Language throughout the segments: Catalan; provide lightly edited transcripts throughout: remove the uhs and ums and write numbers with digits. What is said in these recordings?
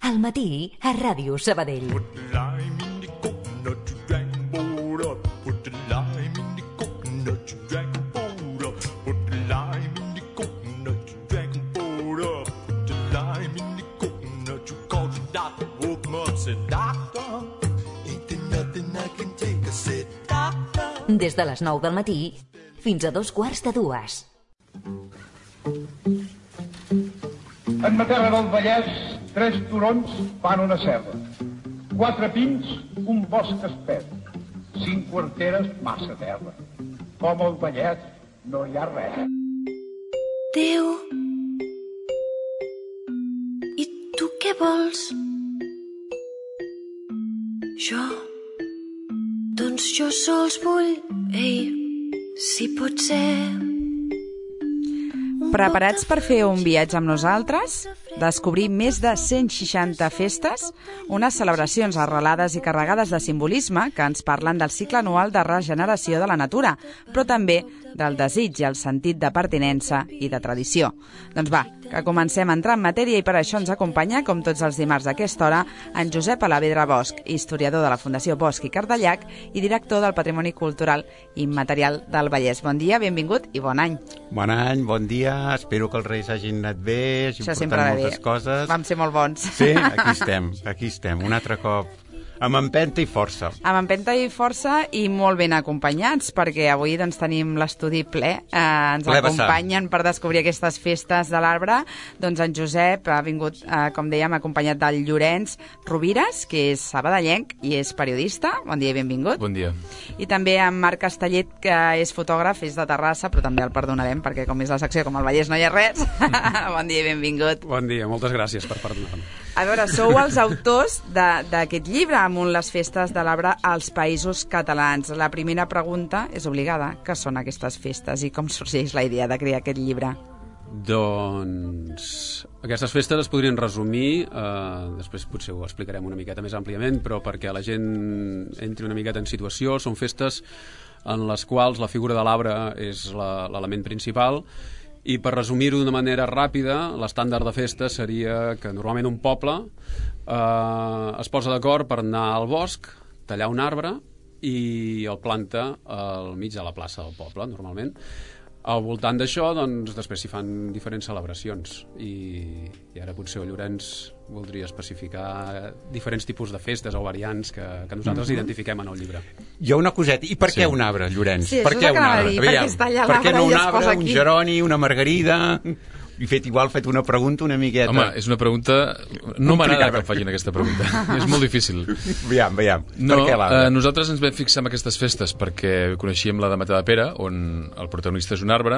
Al matí, a Ràdio Sabadell. Put the lime in the coconut, you drag the boat up. Put the lime in the coconut, you drag the boat up. Put the lime in the coconut, you drag the boat up. Put the lime in the coconut, you called the doctor. Woke him up, said, Doctor, ain't there nothing I can take? I said, Doctor. Des de les 9 del matí fins a 2:45. En ma terra del Vallès, 3 turons fan una serra. 4 pins, un bosc espès. 5 quarteres, massa terra. Com al Vallès no hi ha res. Déu, i tu què vols? Jo? Doncs jo sols vull, si pot ser... Preparats per fer un viatge amb nosaltres? Descobrir més de 160 festes, unes celebracions arrelades i carregades de simbolisme que ens parlen del cicle anual de regeneració de la natura, però també del desig i el sentit de pertinença i de tradició. Doncs va, que comencem a entrar en matèria i per això ens acompanya, com tots els dimarts a aquesta hora, en Josep Alavedra Bosch, historiador de la Fundació Bosch i Cardellac i director del Patrimoni Cultural Immaterial del Vallès. Bon dia, benvingut i bon any. Bon any, bon dia, espero que els Reis hagin anat bé, hagin portat moltes coses. Vam ser molt bons. Sí, aquí estem, un altre cop. Amb empenta i força. Amb empenta i força i molt ben acompanyats, perquè avui doncs, tenim l'estudi ple. Ens acompanyen per descobrir aquestes festes de l'arbre. Doncs en Josep ha vingut, com dèiem, acompanyat del Llorenç Rovires, que és sabadellenc i és periodista. Bon dia i benvingut. Bon dia. I també en Marc Castellet, que és fotògraf, és de Terrassa, però també el perdonarem, perquè com és la secció com el Vallès no hi ha res. Bon dia i benvingut. Bon dia, moltes gràcies per parlar-me. A veure, sou els autors d'aquest llibre, Amunt les festes de l'arbre als Països Catalans. La primera pregunta és obligada. Què són aquestes festes i com sorgeix la idea de crear aquest llibre? Doncs aquestes festes es podrien resumir, després potser ho explicarem una miqueta més àmpliament, però perquè la gent entri una miqueta en situació, són festes en les quals la figura de l'arbre és l'element principal. I per resumir-ho d'una manera ràpida, l'estàndard de festa seria que normalment un poble es posa d'acord per anar al bosc, tallar un arbre i el planta al mig de la plaça del poble, normalment. Al voltant d'això, doncs, després s'hi fan diferents celebracions i ara potser el Llorenç voldria especificar diferents tipus de festes o variants que nosaltres identifiquem en el llibre. Jo una coseta, i per què un arbre, Llorenç? Sí, per què un arbre? Per què no un arbre, un geroni, una margarida? I fet una pregunta una miqueta... Home, és una pregunta... No m'agrada que em facin aquesta pregunta. És molt difícil. Veiem. No, nosaltres ens vam fixar en aquestes festes perquè coneixíem la de Matadepera, on el protagonista és un arbre.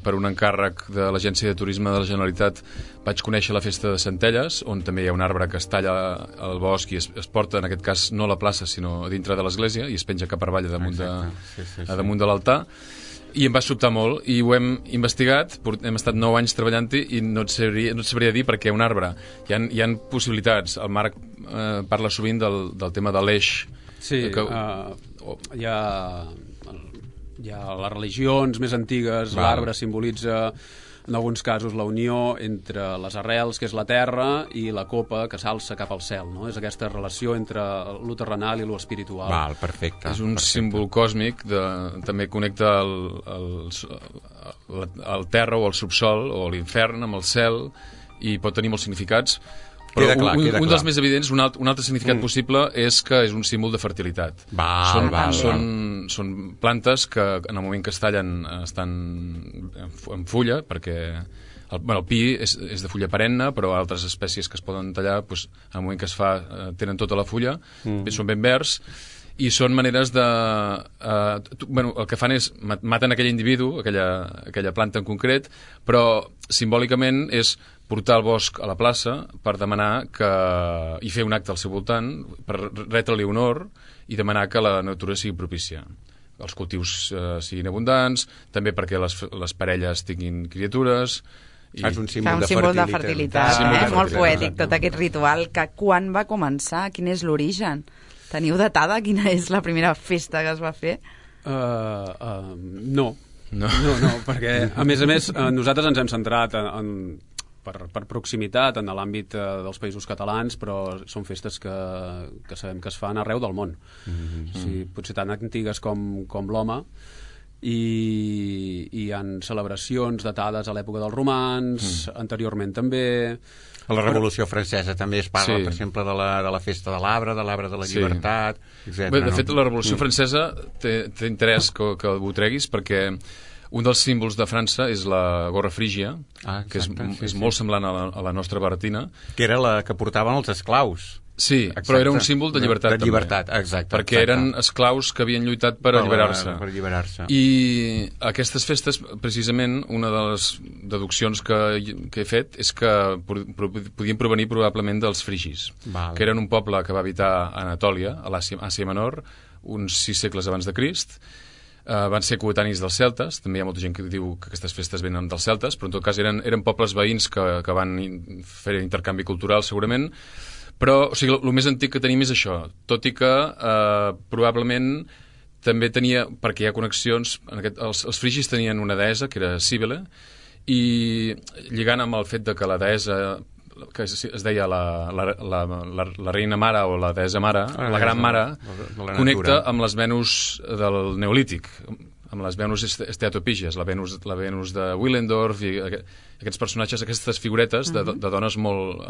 Per un encàrrec de l'Agència de Turisme de la Generalitat vaig conèixer la festa de Centelles, on també hi ha un arbre que es talla al bosc i es porta, en aquest cas, no a la plaça, sinó a dintre de l'església, i es penja cap avall damunt de l'altar. I em va sobtar molt i ho hem investigat, hem estat 9 anys treballant-hi i no et sabria dir perquè un arbre hi ha possibilitats. El Marc parla sovint del tema de l'eix. Sí, hi ha les religions més antigues, l'arbre simbolitza en alguns casos la unió entre les arrels, que és la terra, i la copa, que s'alça cap al cel, no? És aquesta relació entre lo terrenal i lo espiritual. Val, perfecte. És un símbol còsmic, també connecta el terra o el subsol o l'infern amb el cel i pot tenir molts significats. Però un dels més evidents, un altre significat possible és que és un símbol de fertilitat. Són plantes que en el moment que es tallen estan en fulla, perquè el pi és de fulla perenne, però altres espècies que es poden tallar, en el moment que es fa tenen tota la fulla, són ben verds, i són maneres de... el que fan és maten aquell individu, aquella planta en concret, però simbòlicament és portar el bosc a la plaça per demanar i fer un acte al seu voltant, per retre-li honor i demanar que la natura sigui propícia. Els cultius siguin abundants, també perquè les parelles tinguin criatures... És un símbol de fertilitat. Molt poètic, tot aquest ritual. Quan va començar? Quin és l'origen? Teniu datada quina és la primera festa que es va fer? No, perquè a més nosaltres ens hem centrat en per proximitat en l'àmbit dels països catalans, però són festes que sabem que es fan arreu del món. Sí, potser tan antigues com l'home, i hi ha celebracions datades a l'època dels romans, anteriorment també. A la Revolució Francesa també es parla, per exemple, de la festa de l'arbre de la llibertat, etc. Bé, de fet, la Revolució Francesa té interès que ho treguis, perquè un dels símbols de França és la gorra frígia, que és molt semblant a la nostra baratina. Que era la que portaven els esclaus. Sí, exacte. Però era un símbol de llibertat, de llibertat, també. Exacte. Perquè eren esclaus que havien lluitat per alliberar-se. I aquestes festes, precisament, una de les deduccions que he fet és que podien provenir probablement dels frigis, que eren un poble que va habitar a Anatòlia, a l'Àsia Menor, uns 6 segles abans de Crist. Van ser coetanis dels celtes, també hi ha molta gent que diu que aquestes festes venen dels celtes, però en tot cas eren pobles veïns que van fer intercanvi cultural, segurament. Però, o sigui, el més antic que tenim és això, tot i que probablement també tenia, perquè hi ha connexions, els frigis tenien una deessa, que era Cíbele, i lligant amb el fet de que la deessa, que es deia la reina mare o la deessa mare, la gran mare, connecta amb les Venus del Neolític, amb les Venus esteatopígies, la Venus de Willendorf i aquests personatges, aquestes figuretes de dones molt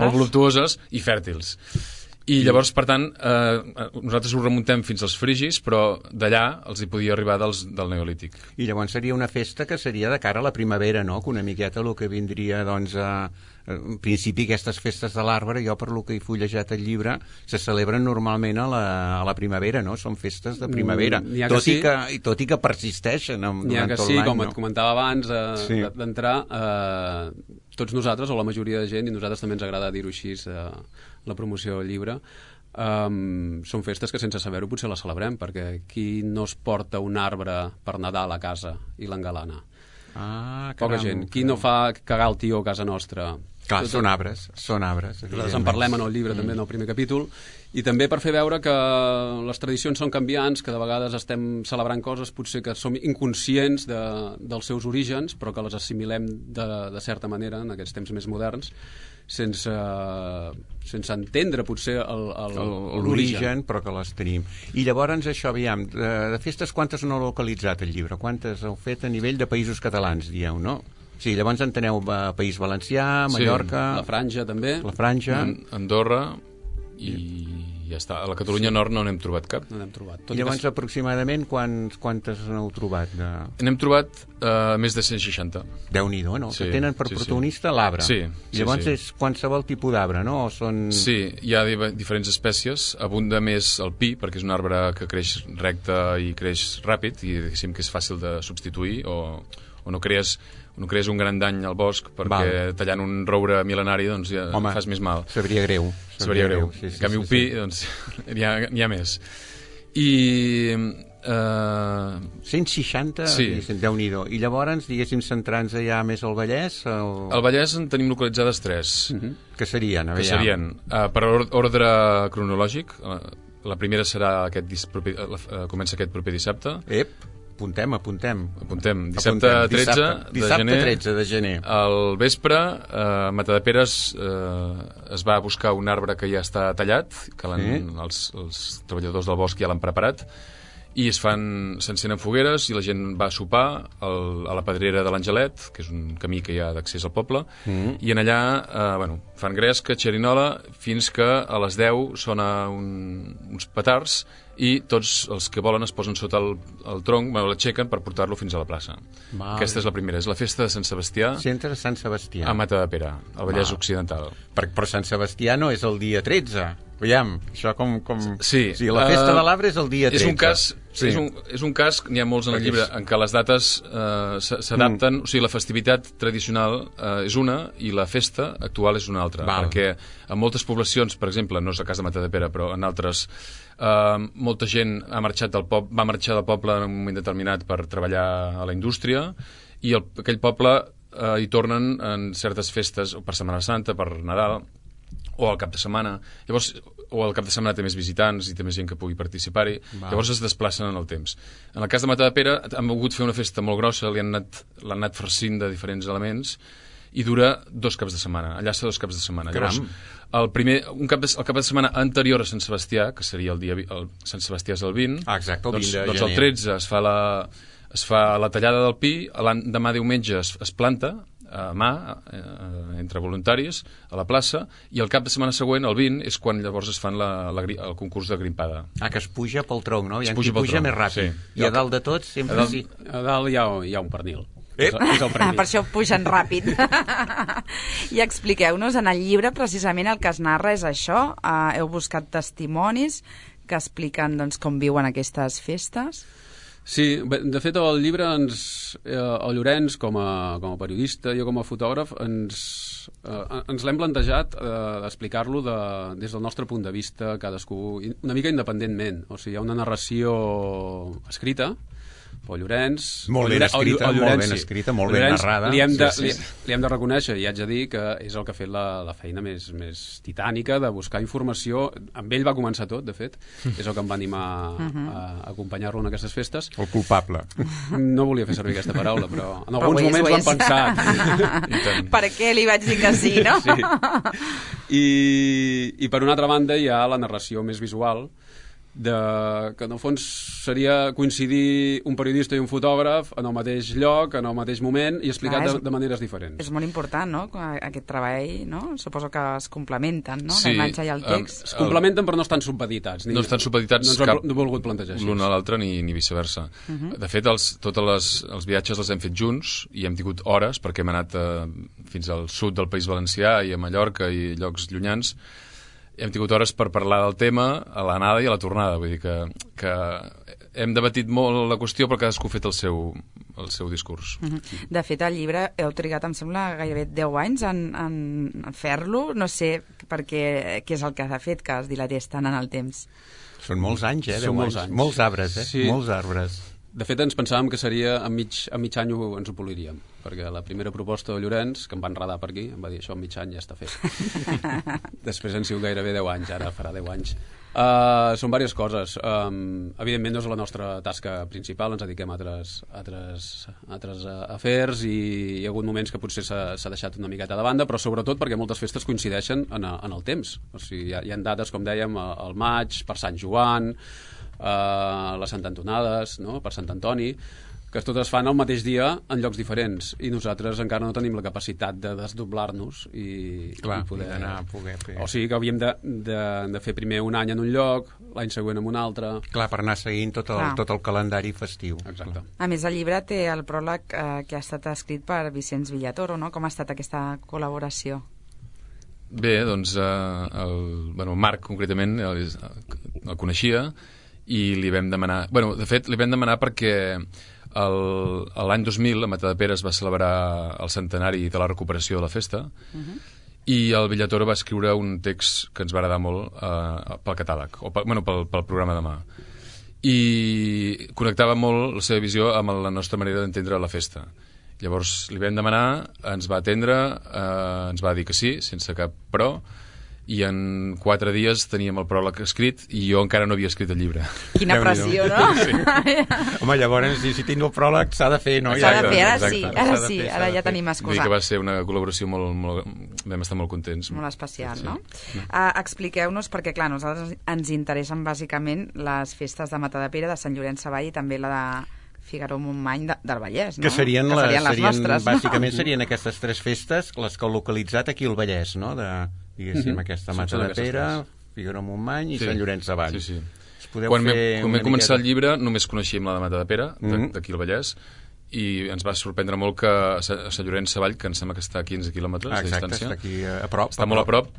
voluptuoses i fèrtils. I llavors, per tant, nosaltres ho remuntem fins als frigis, però d'allà els hi podia arribar del Neolític. I llavors seria una festa que seria de cara a la primavera, no? Que una miqueta el que vindria, doncs, en principi aquestes festes de l'arbre, jo per lo que he fullejat el llibre, se celebren normalment a la primavera, no? Són festes de primavera, tot i que persisteixen durant tot l'any. Com et comentava abans d'entrar, tots nosaltres, o la majoria de gent, i nosaltres també ens agrada dir-ho així, la promoció del llibre, són festes que sense saber-ho potser les celebrem, perquè qui no es porta un arbre per Nadal a casa i l'engalana? Poca gent. Qui no fa cagar el tió a casa nostra? Clar, són arbres. Nosaltres en parlem en el llibre, també, en el primer capítol, i també per fer veure que les tradicions són canviants, que de vegades estem celebrant coses potser que som inconscients dels seus orígens, però que les assimilem de certa manera en aquests temps més moderns, sense entendre potser l'origen, però que les tenim. I llavors això, aviam, de festes quantes no heu localitzat el llibre? Quantes heu fet a nivell de països catalans, dieu, no? Sí, llavors enteneu País Valencià, Mallorca... La Franja, també. La Franja. Andorra i ja està. A la Catalunya Nord no n'hem trobat cap. No n'hem trobat. I llavors, aproximadament, quantes n'heu trobat? N'hem trobat més de 160. Déu-n'hi-do, no? Que tenen per protagonista l'arbre. Sí. I llavors és qualsevol tipus d'arbre, no? O són... Sí, hi ha diferents espècies. Abunda més el pi, perquè és un arbre que creix recte i creix ràpid, i diguéssim que és fàcil de substituir, o no crees un gran dany al bosc, perquè tallant un roure mil·lenari doncs ja fas més mal. Sabria greu. Sí, en canvi, un pi, doncs n'hi ha més. I 160, Déu-n'hi-do. I llavors, diguéssim, centrant-nos ja més al Vallès? Al Vallès en tenim localitzades 3. Que serien? Que serien, per ordre cronològic, la primera serà comença aquest proper dissabte. Apuntem. Dissabte 13 de gener. Al vespre, a Matadepera es va buscar un arbre que ja està tallat, que els treballadors del bosc ja l'han preparat, i s'encenen fogueres i la gent va a sopar a la Pedrera de l'Angelet, que és un camí que hi ha d'accés al poble, i en allà fan gresca, xerinola, fins que a les 10 sona uns petards i tots els que volen es posen sota el tronc, l'aixequen per portar-lo fins a la plaça. Aquesta és la primera, és la festa de Sant Sebastià. Centre de Sant Sebastià. A Matadepera, al Vallès Occidental. Però Sant Sebastià no és el dia 13. Veiem, això com... Sí. La festa de l'arbre és el dia 13. És un cas, n'hi ha molts en el llibre, en què les dates s'adapten, o sigui, la festivitat tradicional és una i la festa actual és una altra, perquè en moltes poblacions, per exemple, no és el cas de Matadepera, però en altres, molta gent va marxar del poble en un moment determinat per treballar a la indústria, i aquell poble hi tornen en certes festes, per Setmana Santa, per Nadal, o al cap de setmana. Llavors, o al cap de setmana té més visitants i té més gent que pugui participar-hi. Llavors es desplacen en el temps. En el cas de Matadepera han volgut fer una festa molt grossa, l'han anat farcint de diferents elements i dura 2 caps de setmana, enllaça 2 caps de setmana. Llavors, el cap de setmana anterior a Sant Sebastià, que seria Sant Sebastià és el 20, exacte, el 20 de doncs el 13 es fa la tallada del pi, demà diumenge es planta a mà, entre voluntaris, a la plaça, i el cap de setmana següent, el 20, és quan llavors es fan el concurs de grimpada. Que es puja pel tronc, no? Hi ha qui puja més ràpid. Sí. I a dalt de tot sempre sí. A dalt hi ha un pernil. Per això pugen ràpid. I expliqueu-nos, en el llibre precisament el que es narra és això. Heu buscat testimonis que expliquen com viuen aquestes festes. Sí, de fet el llibre el Llorenç com a periodista, jo com a fotògraf ens l'hem plantejat d'explicar-lo des del nostre punt de vista, cadascú una mica independentment. O sigui, hi ha una narració escrita pel Llorenç, molt ben escrita, molt ben narrada. Li hem de reconèixer, i haig de dir que és el que ha fet la feina més titànica de buscar informació. Amb ell va començar tot, de fet. És el que em va animar a acompanyar-lo en aquestes festes. El culpable. No volia fer servir aquesta paraula, però en alguns moments l'hem pensat. Per què li vaig dir que sí, no? Sí. I per una altra banda hi ha la narració més visual, que en el fons seria coincidir un periodista i un fotògraf en el mateix lloc, en el mateix moment i explicat de maneres diferents. És molt important, no?, aquest treball, no? Suposo que es complementen, no?, la imatge i el text. Es complementen però no estan supeditats. No estan supeditats no ens ho volgut plantejar així. L'un a l'altre ni viceversa. De fet, tots els viatges els hem fet junts i hem tingut hores perquè hem anat fins al sud del País Valencià i a Mallorca i llocs llunyans. Hem tingut hores per parlar del tema a l'anada i a la tornada, vull dir que hem debatit molt la qüestió però cadascú ha fet el seu discurs. De fet, el llibre heu trigat, em sembla, gairebé 10 anys en fer-lo, no sé què és el que ha fet que es dilatés tant en el temps. Són molts anys, 10 anys. Molts arbres, sí. Molts arbres. De fet, ens pensàvem que seria a mig any ens ho poliríem, perquè la primera proposta de Llorenç, que em va enredar per aquí, em va dir això en mig any ja està fet. Després han sigut gairebé 10 anys, ara farà 10 anys. Són diverses coses. Evidentment no és la nostra tasca principal, ens dediquem a altres afers i hi ha hagut moments que potser s'ha deixat una miqueta de banda, però sobretot perquè moltes festes coincideixen en el temps. O sigui, hi ha dates, com dèiem, al maig, per Sant Joan, les Sant Antonades, no?, per Sant Antoni, que totes fan el mateix dia en llocs diferents i nosaltres encara no tenim la capacitat de desdoblar-nos i poder anar a poder fer. O sigui que havíem de fer primer un any en un lloc, l'any següent en un altre. Clar, per anar seguint tot el calendari festiu. Exacte. A més, el llibre té el pròleg que ha estat escrit per Vicenç Villatoro, no? Com ha estat aquesta col·laboració? Bé, doncs el Marc concretament el coneixia i li vam demanar... de fet, li vam demanar perquè l'any 2000 a Matadepera es va celebrar el centenari de la recuperació de la festa i el Villatoro va escriure un text que ens va agradar molt pel catàleg, o pel programa de mà. I connectava molt la seva visió amb la nostra manera d'entendre la festa. Llavors li vam demanar, ens va atendre, ens va dir que sí, sense cap però, i en 4 dies teníem el pròleg escrit i jo encara no havia escrit el llibre. Quina pressió, no? Sí. Home, llavors, si tinc el pròleg s'ha de fer, no? S'ha de fer, ara sí, ara ja tenim excusa. Vull dir que va ser una col·laboració vam estar molt contents. Molt especial, no? Expliqueu-nos, perquè clar, nosaltres ens interessen bàsicament les festes de Matadepera, de Sant Llorenç Savall i també la de Figaró-Montmany del Vallès, no? Que serien les nostres, no? Bàsicament serien aquestes 3 festes les que heu localitzat aquí al Vallès, no? Diguéssim, aquesta Matadepera, Figaró-Montmany i Sant Llorenç Savall. Sí. Quan vam començar el llibre només coneixíem la de Matadepera, d'aquí al Vallès, i ens va sorprendre molt que a Sant Llorenç Savall, que em sembla que està a 15 quilòmetres de distància, està aquí a prop, està molt a prop,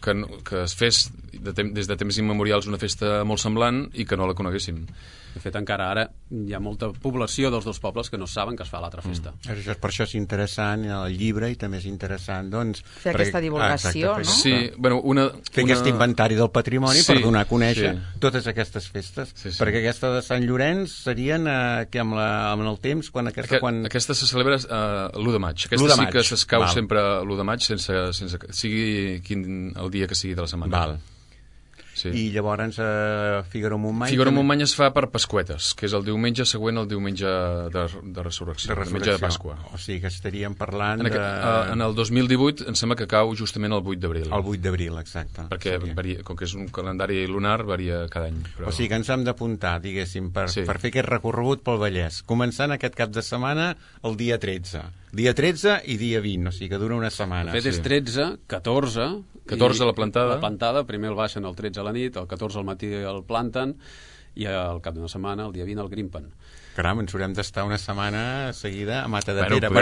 que es fes des de temps immemorials una festa molt semblant i que no la coneguéssim. De fet, encara ara hi ha molta població dels dos pobles que no saben que es fa l'altra festa. Per això és interessant el llibre i també és interessant, doncs... Fer aquesta divulgació, no? Sí, fer aquest inventari del patrimoni per donar a conèixer totes aquestes festes. Perquè aquesta de Sant Llorenç serien que amb el temps... Aquesta se celebra l'1 de maig. Aquesta sí que s'escau sempre l'1 de maig, sense sigui el dia que sigui de la setmana. Val. Sí. I llavors Figaró-Montmany... Figaró-Montmany es fa per Pasqüetes, que és el diumenge següent al diumenge de Resurrecció, el diumenge de Pasqua. O sigui que estaríem parlant en el 2018 em sembla que cau justament el 8 d'abril. El 8 d'abril, exacte. Perquè com que és un calendari lunar, varia cada any. O sigui que ens hem d'apuntar, diguéssim, per fer aquest recorregut pel Vallès. Començant aquest cap de setmana el dia 13. Dia 13 i dia 20, o sigui que dura una setmana. De fet, és 13, 14... 14 a la plantada. La plantada, primer el baixen el 13 a la nit, el 14 al matí el planten, i al cap d'una setmana, el dia 20, el grimpen. Caram, ens haurem d'estar una setmana seguida a Matadepera. Jo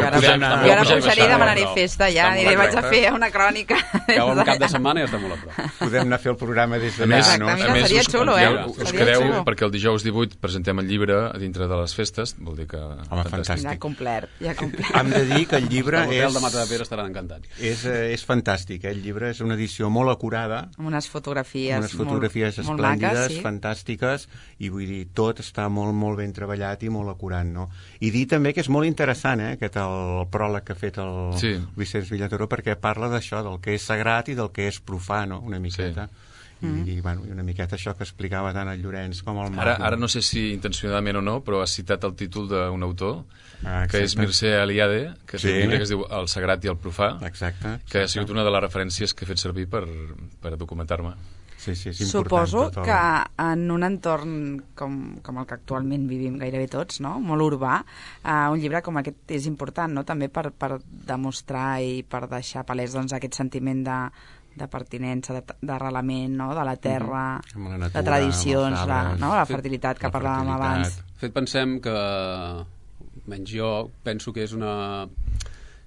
ara pujaré i demanaré festa, ja. Aniré, vaig a fer una crònica. Cau un cap de setmana i està molt a prop. Podem anar a fer el programa des d'allà. A més, seria xulo, us quedeu, perquè el dijous 18 presentem el llibre a dintre de les festes, vol dir que... Home, fantàstic. Ja complert. Hem de dir que el llibre és... L'hotel de Matadepera estaran encantats. És fantàstic, el llibre és una edició molt acurada. Amb unes fotografies esplèndides, fantàstiques, i vull dir, tot està molt, molt ben treballat i molt acurat, no? I dir també que és molt interessant, aquest el pròleg que ha fet el Vicenç Villatoró, perquè parla d'això, del que és sagrat i del que és profà, no? Una miqueta. I una miqueta això que explicava tant el Llorenç com el Marc. Ara no sé si intencionadament o no, però ha citat el títol d'un autor, que és Mircea Eliade, que és un llibre que es diu El sagrat i el profà, que ha sigut una de les referències que he fet servir per documentar-me. Sí, és suposo que en un entorn com el que actualment vivim gairebé tots, no? Molt urbà, un llibre com aquest és important, no? També per demostrar i per deixar palès aquest sentiment de pertinença, d'arrelament, no? De la terra, de tradicions, la fertilitat que parlàvem abans. De fet, pensem que, menys jo, penso que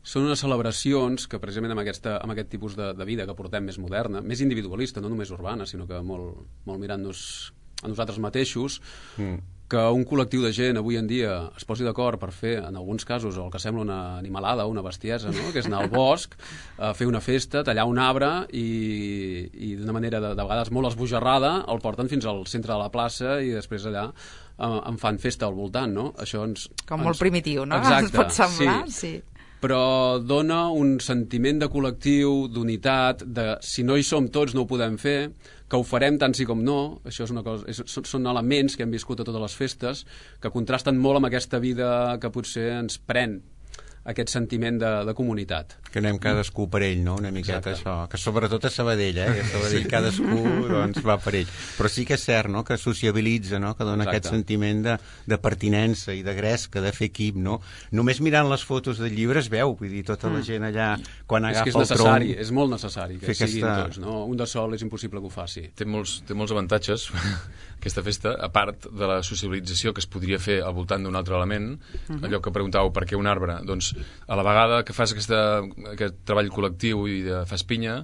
són unes celebracions que precisament amb aquest tipus de vida que portem més moderna, més individualista, no només urbana, sinó que molt mirant-nos a nosaltres mateixos, que un col·lectiu de gent avui en dia es posi d'acord per fer, en alguns casos, el que sembla una animalada, una bestiesa, no? Que és anar al bosc, fer una festa, tallar un arbre i d'una manera de vegades molt esbojarrada el porten fins al centre de la plaça i després allà en fan festa al voltant, no? Això com molt primitiu, no? Exacte, ens pot semblar, sí. Però dona un sentiment de col·lectiu, d'unitat, de si no hi som tots no ho podem fer, que ho farem tant sí com no. Això és una cosa, són elements que hem viscut a totes les festes, que contrasten molt amb aquesta vida que potser ens pren aquest sentiment de comunitat. Que anem cadascú per ell, no? Una miqueta això. Que sobretot a Sabadell, que a Sabadell cadascú va per ell. Però sí que és cert, no? Que sociabilitza, no? Que dona aquest sentiment de pertinença i de gresca, de fer equip, no? Només mirant les fotos del llibre es veu, vull dir, tota la gent allà, quan agafa el tronc... És molt necessari que siguin tots, no? Un de sol és impossible que ho faci. Té molts avantatges, aquesta festa, a part de la sociabilització que es podria fer al voltant d'un altre element, allò que preguntàveu, per què un arbre? Doncs a la vegada que fas aquest treball col·lectiu i fas pinya,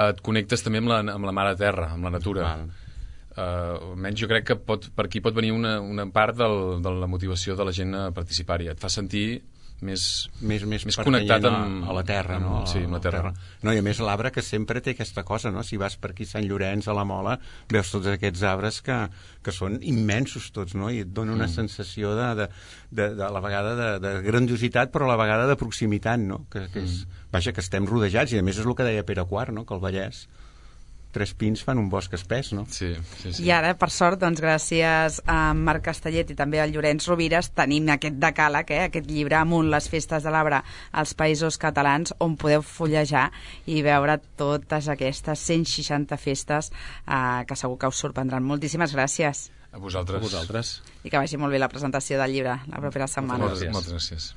et connectes també amb la mare terra, amb la natura. Almenys jo crec que per aquí pot venir una part de la motivació de la gent a participar-hi. Et fa sentir més connectat amb la terra, no? Sí, amb la terra. No, i a més l'arbre que sempre té aquesta cosa, no? Si vas per aquí a Sant Llorenç, a la Mola, veus tots aquests arbres que són immensos tots, no? I et dona una sensació a la vegada de grandiositat, però a la vegada de proximitat, no? Que estem rodejats, i a més és el que deia Pere IV, no? Que el Vallès 3 pins fan un bosc espès, no? Sí. I ara, per sort, doncs, gràcies a Marc Castellet i també al Llorenç Rovires, tenim aquest decàleg, aquest llibre Amunt les festes de l'arbre als Països Catalans, on podeu fullejar i veure totes aquestes 160 festes que segur que us sorprendran. Moltíssimes gràcies. A vosaltres. A vosaltres. I que vagi molt bé la presentació del llibre la propera setmana. Moltes gràcies.